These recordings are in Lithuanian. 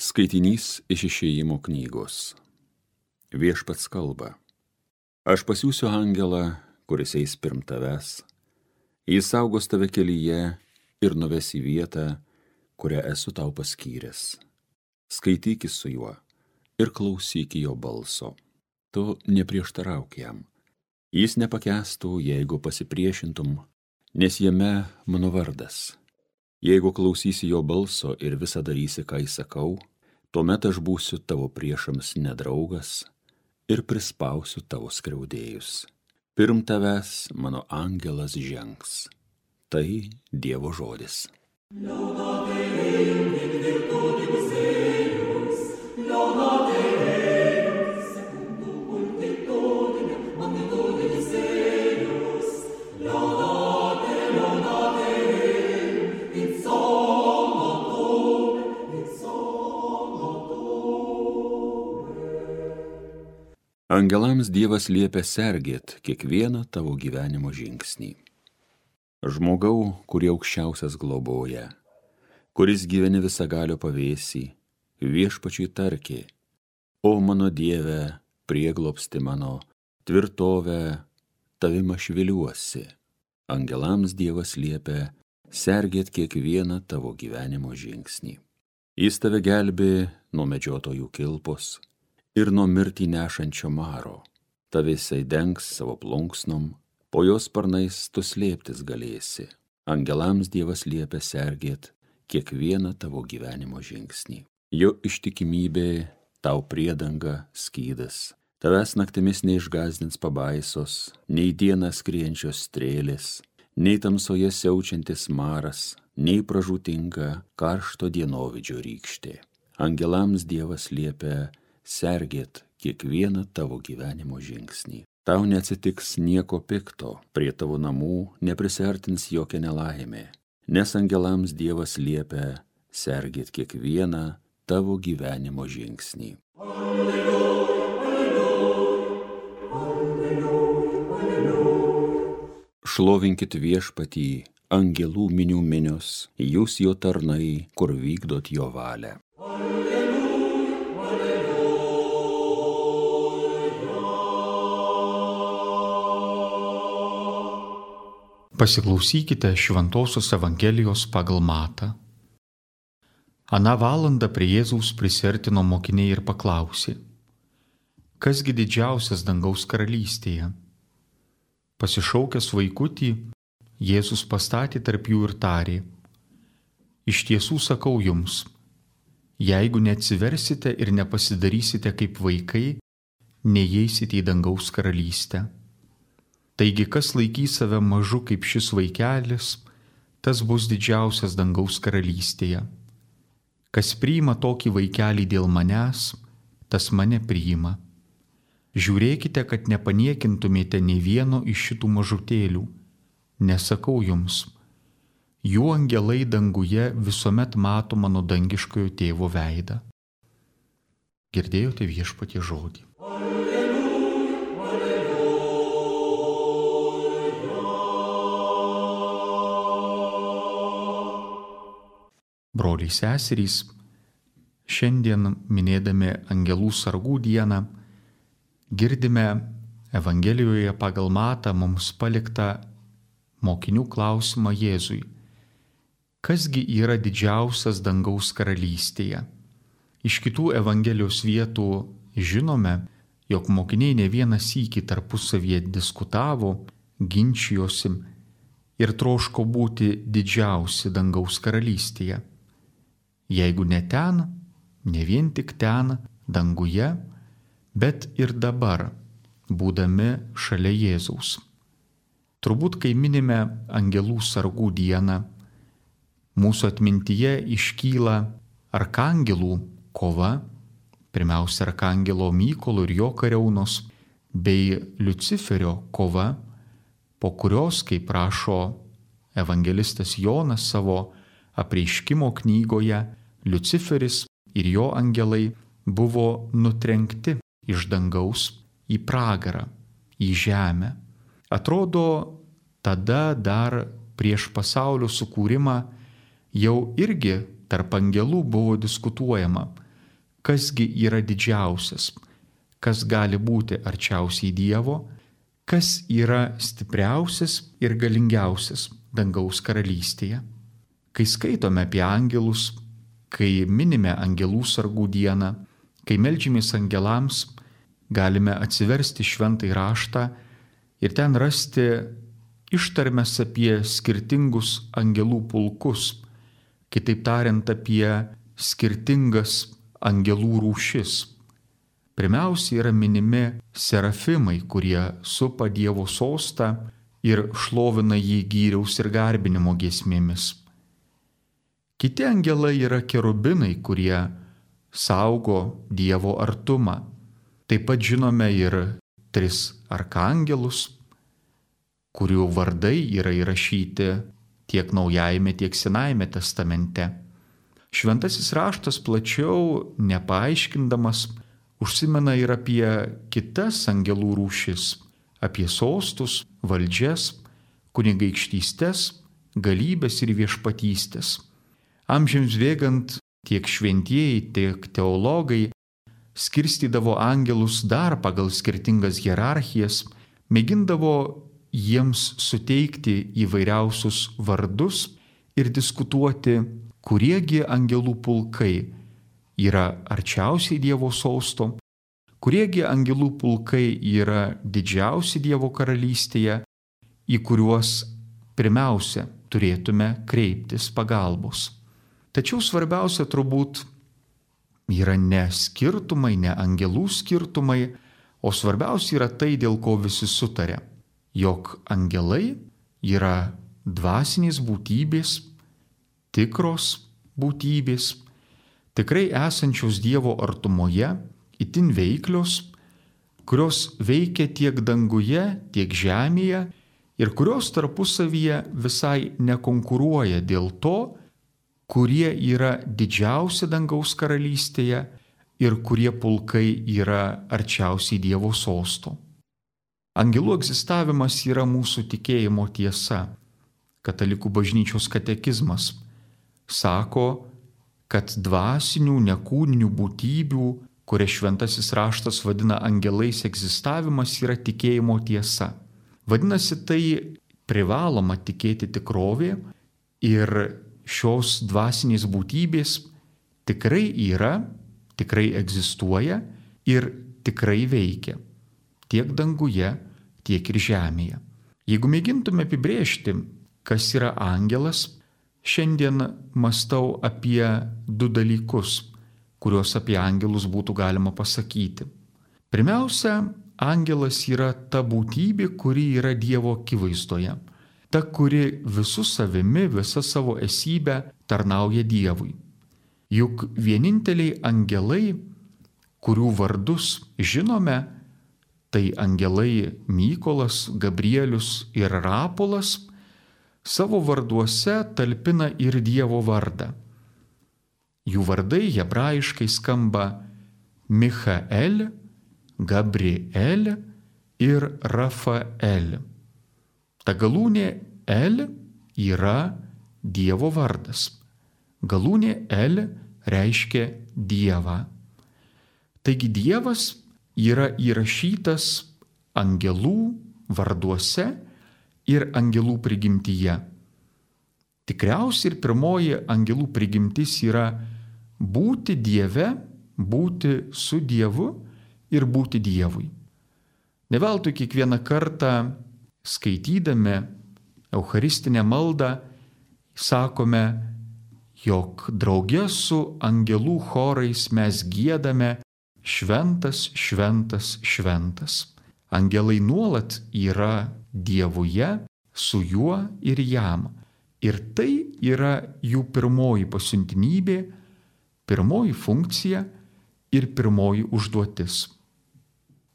Skaitinys iš Išėjimo knygos. Viešpats kalba. Aš pasiųsiu angelą, kuris eis pirm tavęs. Jis saugos tave kelyje ir nuves į vietą, kurią esu tau paskyręs. Skaitykis su juo ir klausyk jo balso. Tu neprieštarauk jam. Jis nepakęstų, jeigu pasipriešintum, nes jame mano vardas. Jeigu klausysi jo balso ir visą darysi, ką įsakau, tuomet aš būsiu tavo priešams nedraugas ir prispausiu tavo skriaudėjus. Pirm tavęs mano angelas žengs. Tai Dievo žodis. Angelams Dievas liepia sergėt kiekvieną tavo gyvenimo žingsnį. Žmogau, kurį aukščiausias globoja, kuris gyveni visagalio pavėsį, viešpačiui tarki: O mano Dieve, prieglobsti mano, tvirtovę, tavim aš viliuosi. Angelams Dievas liepia sergėt kiekvieną tavo gyvenimo žingsnį. Jis tave gelbė nuo medžiotojų kilpos ir nuo mirtį nešančio maro. Tave jisai dengs savo plunksnom, po jos sparnais tu slėptis galėsi. Angelams Dievas liepia sergėt kiekvieną tavo gyvenimo žingsnį. Jo ištikimybė tau priedanga, skydas. Tavęs naktimis neišgąsdins pabaisos, nei dieną skrienčios strėlės, nei tamsoje siaučiantis maras, nei pražūtinga karšto dienovidžio rykštė. Angelams Dievas liepia sergėt kiekvieną tavo gyvenimo žingsnį. Tau neatsitiks nieko pikto, prie tavo namų neprisiartins jokia nelaimė, nes angelams Dievas liepia sergėt kiekvieną tavo gyvenimo žingsnį. Alleluja, alleluja, alleluja, alleluja. Šlovinkit Viešpatį, angelų minių minios, jūs jo tarnai, kur vykdot jo valią. Pasiklausykite Šventosios Evangelijos pagal Matą. Aną valandą prie Jėzaus prisiartino mokiniai ir paklausė: Kasgi didžiausias dangaus karalystėje? Pasišaukęs vaikutį, Jėzus pastatė tarp jų ir tarė: Iš tiesų sakau jums, jeigu neatsiversite ir nepasidarysite kaip vaikai, neįeisite į dangaus karalystę. Taigi, kas laikys save mažu kaip šis vaikelis, tas bus didžiausias dangaus karalystėje. Kas priima tokį vaikelį dėl manęs, tas mane priima. Žiūrėkite, kad nepaniekintumėte nei vieno iš šitų mažutėlių. Nesakau jums, jų angelai danguje visuomet mato mano dangiškojo tėvo veidą. Girdėjote Viešpaties žodį. Broliai seserys, šiandien minėdami Angelų sargų dieną, girdime Evangelijoje pagal Matą mums paliktą mokinių klausimą Jėzui: Kasgi yra didžiausias dangaus karalystėje? Iš kitų Evangelijos vietų žinome, jog mokiniai ne vieną sykį tarpusavyje diskutavo, ginčijosi ir troško būti didžiausi dangaus karalystėje. Jeigu ne ten, ne vien tik ten, danguje, bet ir dabar, būdami šalia Jėzaus. Turbūt, kai minime Angelų sargų dieną, mūsų atmintyje iškyla arkangelų kova, pirmiausia arkangelo Mykolo ir jo kariaunos, bei Liuciferio kova, po kurios, kaip rašo evangelistas Jonas savo apreiškimo knygoje, Liuciferis ir jo angelai buvo nutrenkti iš dangaus į pragarą, į žemę. Atrodo, tada dar prieš pasaulio sukūrimą jau irgi tarp angelų buvo diskutuojama, kasgi yra didžiausias, kas gali būti arčiausiai Dievo, kas yra stipriausias ir galingiausias dangaus karalystėje. Kai skaitome apie angelus, kai minime angelų sargų dieną, kai meldžiamės angelams, galime atsiversti šventąjį raštą ir ten rasti ištarmes apie skirtingus angelų pulkus, kitaip tariant apie skirtingas angelų rūšis. Pirmiausia yra minimi serafimai, kurie supa Dievo sostą ir šlovina jį gyriaus ir garbinimo giesmėmis. Kiti angelai yra kerubinai, kurie saugo Dievo artumą. Taip pat žinome ir 3 arkangelus, kurių vardai yra įrašyti tiek Naujajame, tiek Senajame testamente. Šventasis raštas plačiau, nepaaiškindamas, užsimena ir apie kitas angelų rūšis, apie sostus, valdžias, kunigaikštystes, galybės ir viešpatystės. Amžiams bėgant tiek šventieji, tiek teologai skirstydavo angelus dar pagal skirtingas hierarchijas, mėgindavo jiems suteikti įvairiausius vardus ir diskutuoti, kuriegi angelų pulkai yra arčiausiai Dievo sosto, kuriegi angelų pulkai yra didžiausi Dievo karalystėje, į kuriuos pirmiausia turėtume kreiptis pagalbos. Tačiau svarbiausia turbūt yra ne skirtumai, ne angelų skirtumai, o svarbiausia yra tai, dėl ko visi sutarė, jog angelai yra dvasinės būtybės, tikros būtybės, tikrai esančios Dievo artumoje, itin veiklios, kurios veikia tiek danguje, tiek žemėje ir kurios tarpusavyje visai nekonkuruoja dėl to, kurie yra didžiausi dangaus karalystėje ir kurie pulkai yra arčiausiai Dievo sosto. Angelų egzistavimas yra mūsų tikėjimo tiesa. Katalikų bažnyčios katekizmas sako, kad dvasinių, nekūninių būtybių, kurias šventasis raštas vadina angelais, egzistavimas yra tikėjimo tiesa. Vadinasi, tai privaloma tikėti tikrovė ir šios dvasinės būtybės tikrai yra, tikrai egzistuoja ir tikrai veikia tiek danguje, tiek ir žemėje. Jeigu mėgintume apibrėžti, kas yra angelas, šiandien mąstau apie 2 dalykus, kuriuos apie angelus būtų galima pasakyti. Pirmiausia, angelas yra ta būtybė, kuri yra Dievo akivaizdoje. Ta, kuri visų savimi, visa savo esybę tarnauja Dievui. Juk vieninteliai angelai, kurių vardus žinome, tai angelai Mykolas, Gabrielius ir Rapolas, savo varduose talpina ir Dievo vardą. Jų vardai hebrajiškai skamba Michael, Gabriel ir Rafael. Ta galūnė El yra Dievo vardas. Galūnė El reiškia Dievą. Taigi Dievas yra įrašytas angelų varduose ir angelų prigimtyje. Tikriausiai ir pirmoji angelų prigimtis yra būti Dieve, būti su Dievu ir būti Dievui. Ne veltui kiekvieną kartą skaitydami eucharistinę maldą sakome, jog drauge su angelų chorais mes giedame šventas, šventas, šventas. Angelai nuolat yra Dievuje, su juo ir jam. Ir tai yra jų pirmoji pasiuntinybė, pirmoji funkcija ir pirmoji užduotis.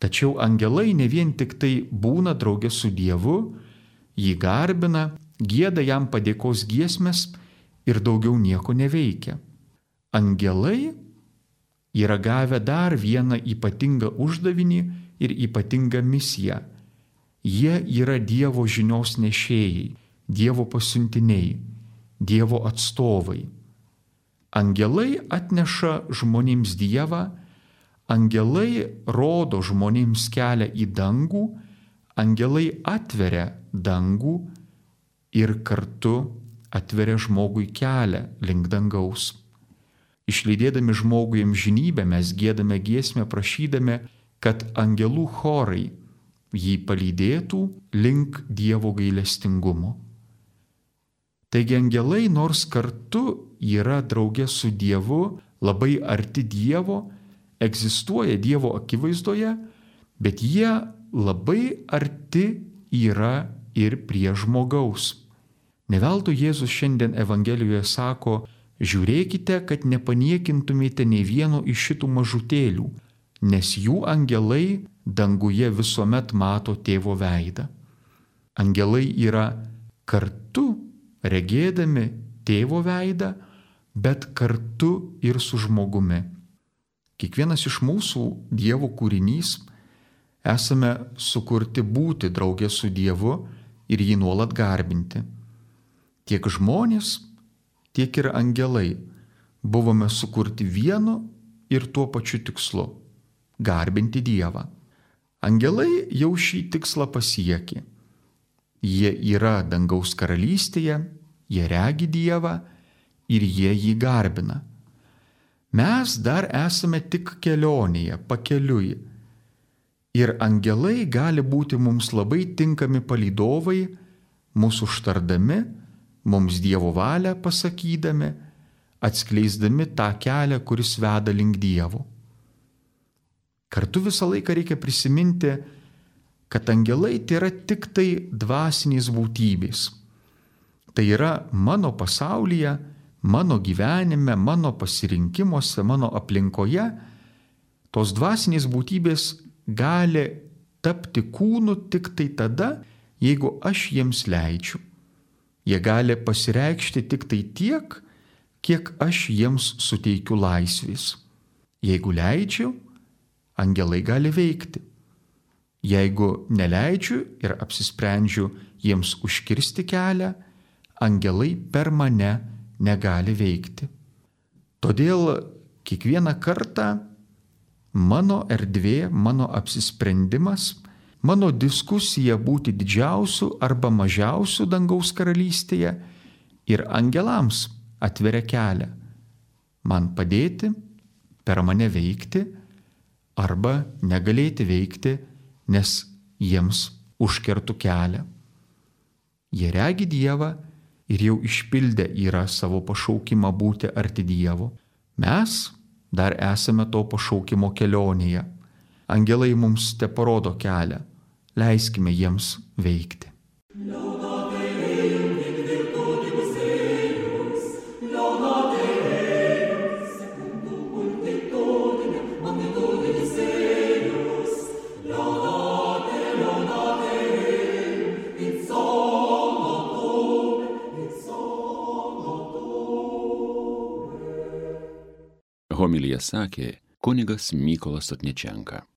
Tačiau angelai ne vien tik tai būna drauge su Dievu, jį garbina, gieda jam padėkos giesmes ir daugiau nieko neveikia. Angelai yra gavę dar vieną ypatingą uždavinį ir ypatingą misiją. Jie yra Dievo žinios nešėjai, Dievo pasiuntiniai, Dievo atstovai. Angelai atneša žmonėms Dievą, angelai rodo žmonėms kelią į dangų, angelai atveria dangų ir kartu atveria žmogui kelią link dangaus. Išlydėdami žmogui amžinybę mes giedame giesmę prašydami, kad angelų chorai jį palydėtų link Dievo gailestingumo. Taigi angelai nors kartu yra drauge su Dievu, labai arti Dievo, egzistuoja Dievo akivaizdoje, bet jie labai arti yra ir prie žmogaus. Ne veltui Jėzus šiandien Evangelijoje sako, žiūrėkite, kad nepaniekintumėte nei vieno iš šitų mažutėlių, nes jų angelai danguje visuomet mato tėvo veidą. Angelai yra kartu regėdami tėvo veidą, bet kartu ir su žmogumi. Kiekvienas iš mūsų Dievo kūrinys esame sukurti būti drauge su Dievu ir jį nuolat garbinti. Tiek žmonės, tiek ir angelai buvome sukurti vienu ir tuo pačiu tikslu – garbinti Dievą. Angelai jau šį tikslą pasiekė. Jie yra dangaus karalystėje, jie regi Dievą ir jie jį garbina. Mes dar esame tik kelionėje, pakeliui. Ir angelai gali būti mums labai tinkami palydovai, mūsų užtardami, mums Dievo valią pasakydami, atskleisdami tą kelią, kuris veda link Dievo. Kartu visą laiką reikia prisiminti, kad angelai tai yra tik tai dvasinės būtybės. Tai yra mano pasaulyje, mano gyvenime, mano pasirinkimuose, mano aplinkoje. Tos dvasinės būtybės gali tapti kūnu tik tai tada, jeigu aš jiems leidžiu. Jie gali pasireikšti tik tai tiek, kiek aš jiems suteikiu laisvės. Jeigu leidžiu, angelai gali veikti. Jeigu neleidžiu ir apsisprendžiu jiems užkirsti kelią, angelai per mane negali veikti. Todėl kiekvieną kartą mano erdvė, mano apsisprendimas, mano diskusija būti didžiausiu arba mažiausiu dangaus karalystėje ir angelams atveria kelią. Man padėti, per mane veikti arba negalėti veikti, nes jiems užkertu kelią. Jie regi Dievą ir jau išpildę yra savo pašaukimą būti arti Dievo. Mes dar esame to pašaukimo kelionėje. Angelai mums teparodo kelią. Leiskime jiems veikti. Homiliją sakė kunigas Mykolas Sotničenka.